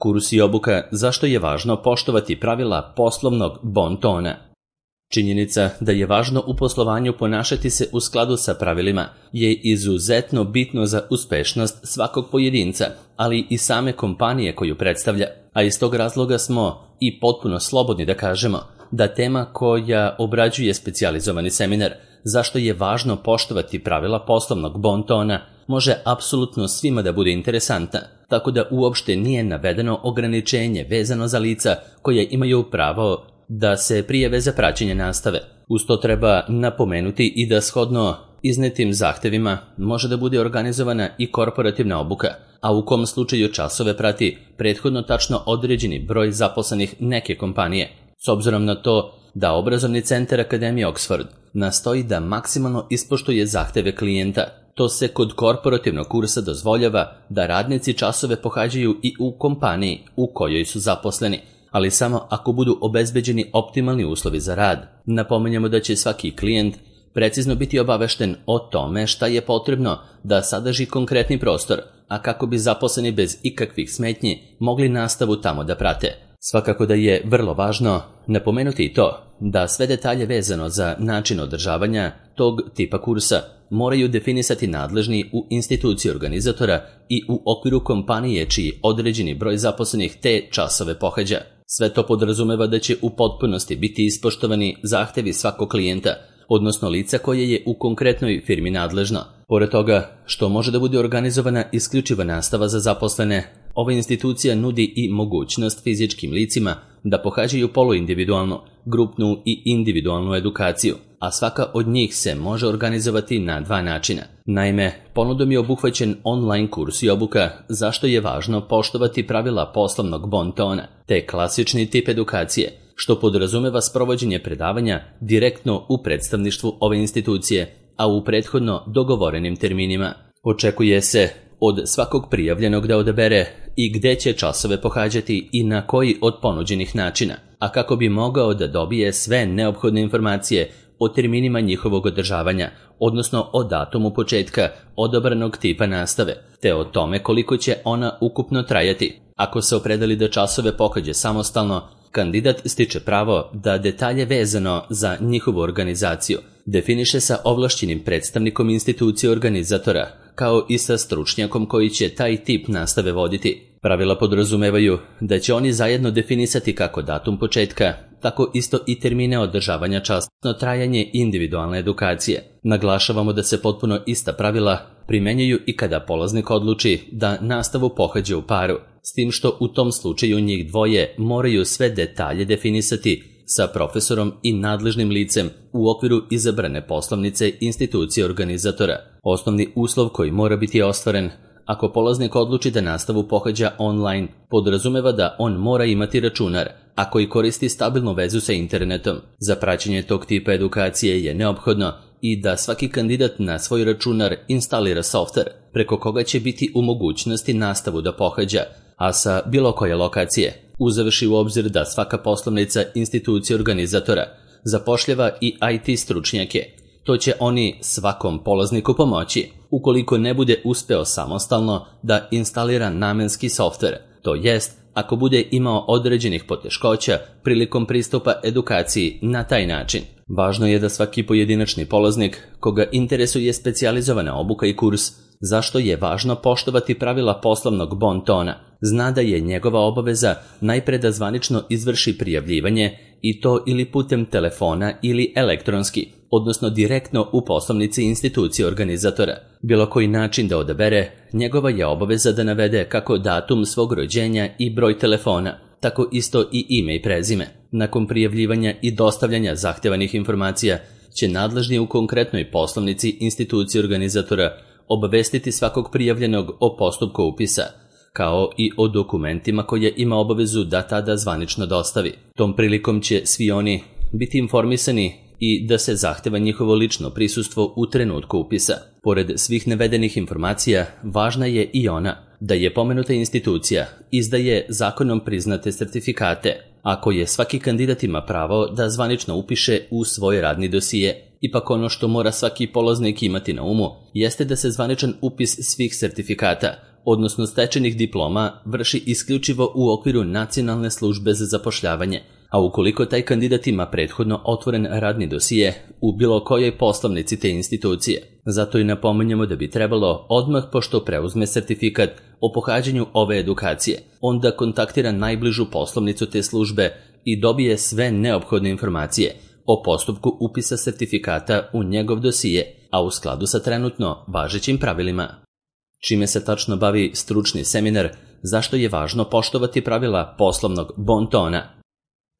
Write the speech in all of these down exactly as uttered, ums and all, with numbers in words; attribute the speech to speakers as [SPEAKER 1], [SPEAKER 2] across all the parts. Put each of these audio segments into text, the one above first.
[SPEAKER 1] Kurs i obuka zašto je važno poštovati pravila poslovnog bon tona. Činjenica da je važno u poslovanju ponašati se u skladu sa pravilima je izuzetno bitno za uspešnost svakog pojedinca, ali i same kompanije koju predstavlja, a iz tog razloga smo i potpuno slobodni da kažemo da tema koja obrađuje specijalizovani seminar zašto je važno poštovati pravila poslovnog bon tona može apsolutno svima da bude interesantna, tako da uopšte nije navedeno ograničenje vezano za lica koje imaju pravo da se prijave za praćenje nastave. Uz to treba napomenuti i da shodno iznetim zahtevima može da bude organizovana i korporativna obuka, a u kom slučaju časove prati prethodno tačno određeni broj zaposlenih neke kompanije. S obzirom na to da obrazovni centar Akademije Oxford nastoji da maksimalno ispoštuje zahteve klijenta, to se kod korporativnog kursa dozvoljava da radnici časove pohađaju i u kompaniji u kojoj su zaposleni, ali samo ako budu obezbeđeni optimalni uslovi za rad. Napominjemo da će svaki klijent precizno biti obavešten o tome šta je potrebno da sadrži konkretni prostor, a kako bi zaposleni bez ikakvih smetnji mogli nastavu tamo da prate. Svakako da je vrlo važno napomenuti i to da sve detalje vezano za način održavanja tog tipa kursa moraju definisati nadležni u instituciji organizatora i u okviru kompanije čiji određeni broj zaposlenih te časove pohađa. Sve to podrazumeva da će u potpunosti biti ispoštovani zahtevi svakog klijenta, odnosno lica koje je u konkretnoj firmi nadležno. Pored toga što može da bude organizovana isključiva nastava za zaposlene, ova institucija nudi i mogućnost fizičkim licima da pohađaju poluindividualnu, grupnu i individualnu edukaciju, a svaka od njih se može organizovati na dva načina. Naime, ponudom je obuhvaćen online kurs i obuka zašto je važno poštovati pravila poslovnog bon tona, te klasični tip edukacije, što podrazumeva sprovođenje predavanja direktno u predstavništvu ove institucije, a u prethodno dogovorenim terminima. Očekuje se od svakog prijavljenog da odabere i gde će časove pohađati i na koji od ponuđenih načina, a kako bi mogao da dobije sve neophodne informacije o terminima njihovog održavanja, odnosno o datumu početka odabranog tipa nastave, te o tome koliko će ona ukupno trajati. Ako se opredeli da časove pohađa samostalno, kandidat stiče pravo da detalje vezano za njihovu organizaciju definiše sa ovlašćenim predstavnikom institucije organizatora, kao i sa stručnjakom koji će taj tip nastave voditi. Pravila podrazumevaju da će oni zajedno definisati kako datum početka, tako isto i termine održavanja časno trajanje individualne edukacije. Naglašavamo da se potpuno ista pravila primenjuju i kada polaznik odluči da nastavu pohađa u paru, s tim što u tom slučaju njih dvoje moraju sve detalje definisati sa profesorom i nadležnim licem u okviru izabrane poslovnice institucije organizatora. Osnovni uslov koji mora biti ostvaren ako polaznik odluči da nastavu pohađa online, podrazumeva da on mora imati računar, a koji koristi stabilnu vezu sa internetom. Za praćenje tog tipa edukacije je neophodno i da svaki kandidat na svoj računar instalira softver, preko koga će biti u mogućnosti nastavu da pohađa, a sa bilo koje lokacije. Uzevši u obzir da svaka poslovnica institucije organizatora zapošljava i I T stručnjake, to će oni svakom polazniku pomoći ukoliko ne bude uspeo samostalno da instalira namenski softver, to jest ako bude imao određenih poteškoća prilikom pristupa edukaciji na taj način. Važno je da svaki pojedinačni polaznik koga interesuje specijalizovana obuka i kurs, zašto je važno poštovati pravila poslovnog bon tona, zna da je njegova obaveza najpre da zvanično izvrši prijavljivanje i to ili putem telefona ili elektronski, odnosno direktno u poslovnici institucije organizatora. Bilo koji način da odabere, njegova je obaveza da navede kako datum svog rođenja i broj telefona, tako isto i ime i prezime. Nakon prijavljivanja i dostavljanja zahtevanih informacija će nadležni u konkretnoj poslovnici institucije organizatora obavestiti svakog prijavljenog o postupku upisa, kao i o dokumentima koje ima obavezu da tada zvanično dostavi. Tom prilikom će svi oni biti informisani i da se zahteva njihovo lično prisustvo u trenutku upisa. Pored svih navedenih informacija, važna je i ona da je pomenuta institucija izdaje zakonom priznate sertifikate, a koje svaki kandidat ima pravo da zvanično upiše u svoj radni dosije. Ipak ono što mora svaki polaznik imati na umu jeste da se zvaničan upis svih sertifikata odnosno stečenih diploma, vrši isključivo u okviru Nacionalne službe za zapošljavanje, a ukoliko taj kandidat ima prethodno otvoren radni dosije u bilo kojoj poslovnici te institucije. Zato i napominjemo da bi trebalo odmah pošto preuzme sertifikat o pohađanju ove edukacije, onda kontaktira najbližu poslovnicu te službe i dobije sve neophodne informacije o postupku upisa sertifikata u njegov dosije, a u skladu sa trenutno važećim pravilima. Čime se tačno bavi stručni seminar, zašto je važno poštovati pravila poslovnog bontona?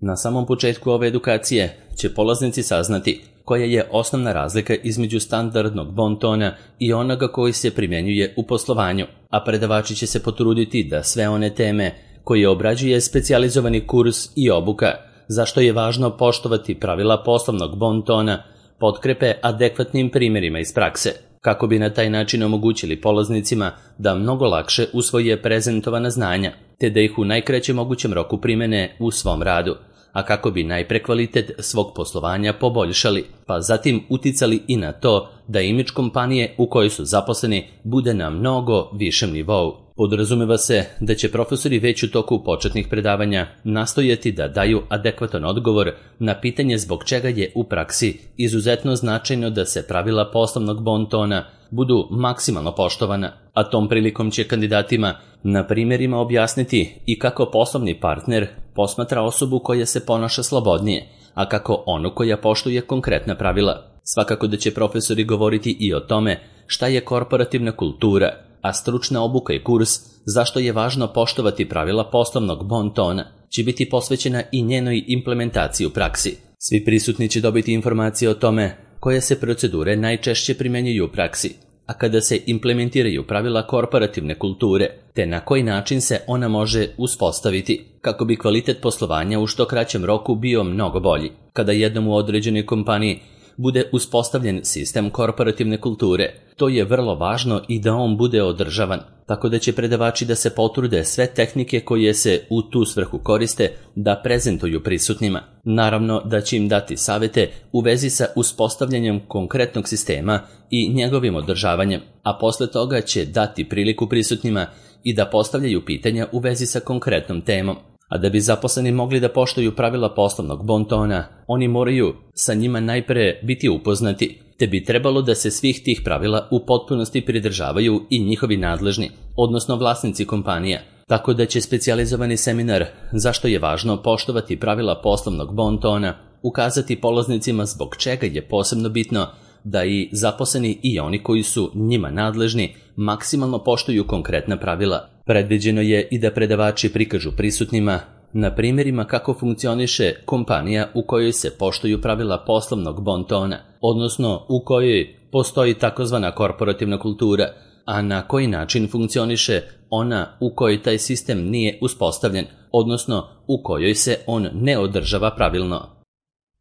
[SPEAKER 1] Na samom početku ove edukacije će polaznici saznati koja je osnovna razlika između standardnog bontona i onoga koji se primjenjuje u poslovanju, a predavači će se potruditi da sve one teme koje obrađuje specijalizovani kurs i obuka, zašto je važno poštovati pravila poslovnog bontona, potkrepe adekvatnim primjerima iz prakse, kako bi na taj način omogućili polaznicima da mnogo lakše usvoje prezentovana znanja, te da ih u najkraćem mogućem roku primene u svom radu, a kako bi najpre kvalitet svog poslovanja poboljšali, pa zatim uticali i na to da imidž kompanije u kojoj su zaposleni bude na mnogo višem nivou. Podrazumeva se da će profesori već u toku početnih predavanja nastojati da daju adekvatan odgovor na pitanje zbog čega je u praksi izuzetno značajno da se pravila poslovnog bontona budu maksimalno poštovana, a tom prilikom će kandidatima na primjerima objasniti i kako poslovni partner posmatra osobu koja se ponaša slobodnije, a kako onu koja poštuje konkretna pravila. Svakako da će profesori govoriti i o tome šta je korporativna kultura, a stručna obuka i kurs zašto je važno poštovati pravila poslovnog bontona će biti posvećena i njenoj implementaciji u praksi. Svi prisutni će dobiti informacije o tome koje se procedure najčešće primjenjuju u praksi, a kada se implementiraju pravila korporativne kulture, te na koji način se ona može uspostaviti, kako bi kvalitet poslovanja u što kraćem roku bio mnogo bolji. Kada jednom u određenoj kompaniji bude uspostavljen sistem korporativne kulture, to je vrlo važno i da on bude održavan, tako da će predavači da se potrude sve tehnike koje se u tu svrhu koriste da prezentuju prisutnima. Naravno da će im dati savete u vezi sa uspostavljanjem konkretnog sistema i njegovim održavanjem, a posle toga će dati priliku prisutnima i da postavljaju pitanja u vezi sa konkretnom temom. A da bi zaposleni mogli da poštuju pravila poslovnog bontona, oni moraju sa njima najpre biti upoznati, te bi trebalo da se svih tih pravila u potpunosti pridržavaju i njihovi nadležni, odnosno vlasnici kompanija. Tako da će specijalizovani seminar zašto je važno poštovati pravila poslovnog bontona ukazati polaznicima zbog čega je posebno bitno da i zaposleni i oni koji su njima nadležni maksimalno poštuju konkretna pravila. Predviđeno je i da predavači prikažu prisutnima na primjerima kako funkcioniše kompanija u kojoj se poštuju pravila poslovnog bontona, odnosno u kojoj postoji takozvana korporativna kultura, a na koji način funkcioniše ona u kojoj taj sistem nije uspostavljen, odnosno u kojoj se on ne održava pravilno.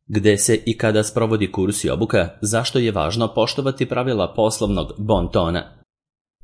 [SPEAKER 1] Gde se i kada sprovodi kurs i obuka, zašto je važno poštovati pravila poslovnog bontona?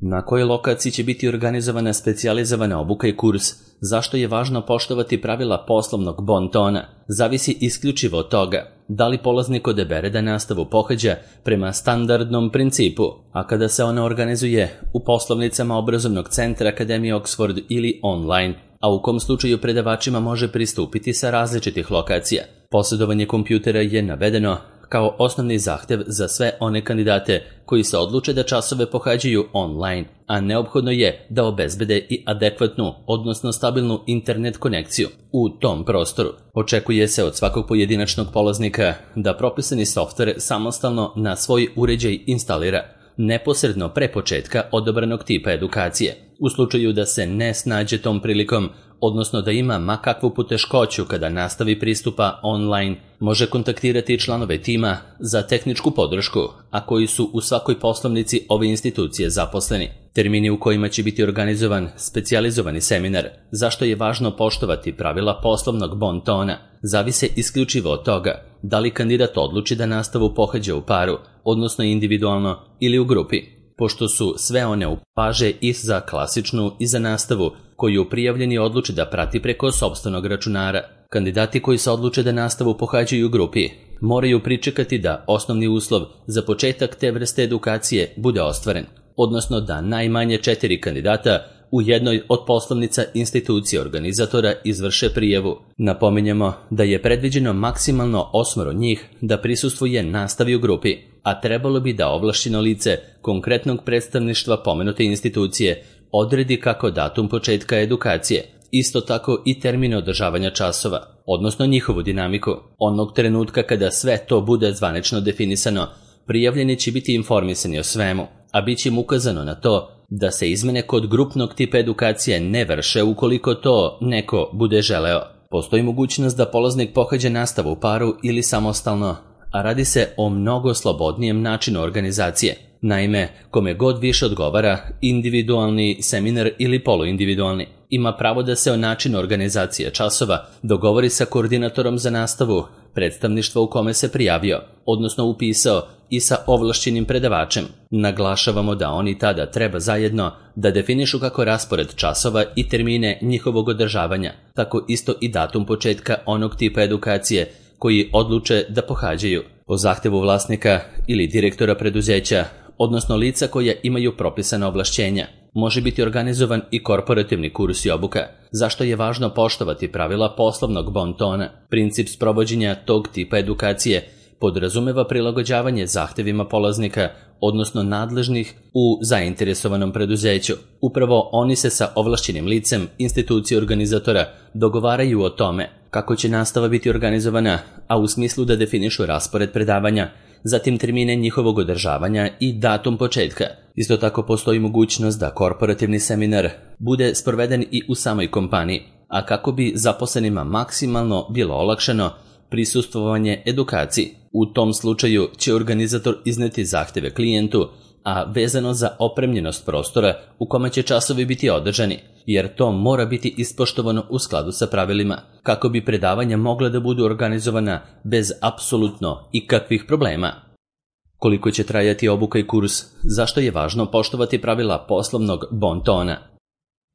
[SPEAKER 1] Na kojoj lokaciji će biti organizovana specijalizovana obuka i kurs, zašto je važno poštovati pravila poslovnog bontona, zavisi isključivo od toga da li polaznik odabere da nastavu pohađa prema standardnom principu, a kada se ona organizuje u poslovnicama obrazovnog centra Akademije Oxford ili online, a u kom slučaju predavačima može pristupiti sa različitih lokacija. Posjedovanje kompjutera je navedeno kao osnovni zahtev za sve one kandidate koji se odluče da časove pohađaju online, a neophodno je da obezbede i adekvatnu, odnosno stabilnu internet konekciju u tom prostoru. Očekuje se od svakog pojedinačnog polaznika da propisani softver samostalno na svoj uređaj instalira neposredno pre početka odabranog tipa edukacije. U slučaju da se ne snađe tom prilikom, odnosno da ima makakvu poteškoću kada nastavi pristupa online, može kontaktirati članove tima za tehničku podršku, a koji su u svakoj poslovnici ove institucije zaposleni. Termini u kojima će biti organizovan specijalizovani seminar, zašto je važno poštovati pravila poslovnog bontona, zavise isključivo od toga da li kandidat odluči da nastavu pohađa u paru, odnosno individualno ili u grupi. Pošto su sve one upaže i za klasičnu i za nastavu koju prijavljeni odluči da prati preko sopstvenog računara. Kandidati koji se odluče da nastavu pohađaju u grupi moraju pričekati da osnovni uslov za početak te vrste edukacije bude ostvaren, odnosno da najmanje četiri kandidata u jednoj od poslovnica institucije organizatora izvrše prijavu. Napominjemo da je predviđeno maksimalno osmoro njih da prisustvuje nastavi u grupi, a trebalo bi da ovlašćeno lice konkretnog predstavništva pomenute institucije odredi kako datum početka edukacije, isto tako i termine održavanja časova, odnosno njihovu dinamiku. Onog trenutka kada sve to bude zvanično definisano, prijavljeni će biti informisani o svemu, a bit će im ukazano na to da se izmene kod grupnog tipa edukacije ne vrše ukoliko to neko bude želeo. Postoji mogućnost da polaznik pohađa nastavu u paru ili samostalno, a radi se o mnogo slobodnijem načinu organizacije. Naime, kome god više odgovara, individualni seminar ili poluindividualni, ima pravo da se o načinu organizacije časova dogovori sa koordinatorom za nastavu predstavništva u kome se prijavio, odnosno upisao, i sa ovlašćenim predavačem. Naglašavamo da oni tada treba zajedno da definišu kako raspored časova i termine njihovog održavanja, tako isto i datum početka onog tipa edukacije koji odluče da pohađaju. Po zahtevu vlasnika ili direktora preduzeća, odnosno lica koja imaju propisana ovlašćenja, može biti organizovan i korporativni kurs i obuka, zašto je važno poštovati pravila poslovnog bon tona. Princip sprovođenja tog tipa edukacije podrazumeva prilagođavanje zahtevima polaznika, odnosno nadležnih u zainteresovanom preduzeću. Upravo oni se sa ovlašćenim licem institucije organizatora dogovaraju o tome kako će nastava biti organizovana, a u smislu da definišu raspored predavanja, zatim termine njihovog održavanja i datum početka. Isto tako postoji mogućnost da korporativni seminar bude sproveden i u samoj kompaniji, a kako bi zaposlenima maksimalno bilo olakšano prisustvovanje edukaciji. U tom slučaju će organizator izneti zahteve klijentu, a vezano za opremljenost prostora u kome će časovi biti održani, jer to mora biti ispoštovano u skladu sa pravilima, kako bi predavanja mogla da budu organizovana bez apsolutno ikakvih problema. Koliko će trajati obuka i kurs? Zašto je važno poštovati pravila poslovnog bon tona?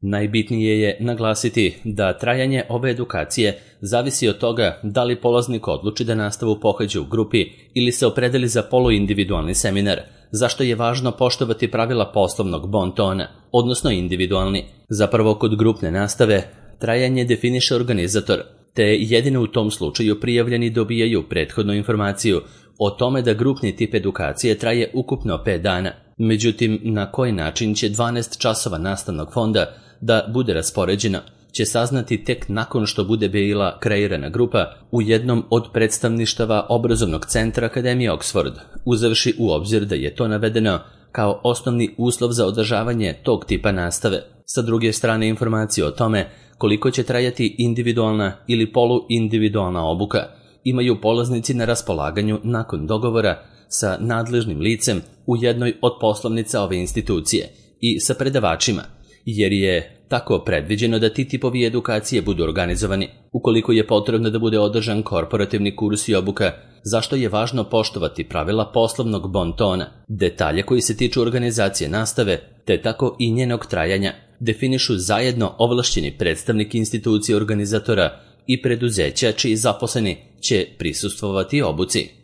[SPEAKER 1] Najbitnije je naglasiti da trajanje ove edukacije zavisi od toga da li polaznik odluči da nastavu pohađa u grupi ili se opredeli za poluindividualni seminar, zašto je važno poštovati pravila poslovnog bon tona, odnosno individualni. Zapravo kod grupne nastave trajanje definiše organizator, te jedino u tom slučaju prijavljeni dobijaju prethodnu informaciju o tome da grupni tip edukacije traje ukupno pet dana. Međutim, na koji način će dvanaest časova nastavnog fonda da bude raspoređeno, će saznati tek nakon što bude bila kreirana grupa u jednom od predstavništava obrazovnog centra Akademije Oxford, uzevši u obzir da je to navedeno kao osnovni uslov za održavanje tog tipa nastave. Sa druge strane, informacije o tome koliko će trajati individualna ili poluindividualna obuka imaju polaznici na raspolaganju nakon dogovora sa nadležnim licem u jednoj od poslovnica ove institucije i sa predavačima, jer je tako predviđeno da ti tipovi edukacije budu organizovani. Ukoliko je potrebno da bude održan korporativni kurs i obuka, zašto je važno poštovati pravila poslovnog bon tona, detalje koji se tiču organizacije nastave, te tako i njenog trajanja, definišu zajedno ovlašćeni predstavnik institucije organizatora i preduzeća čiji zaposleni će prisustvovati obuci.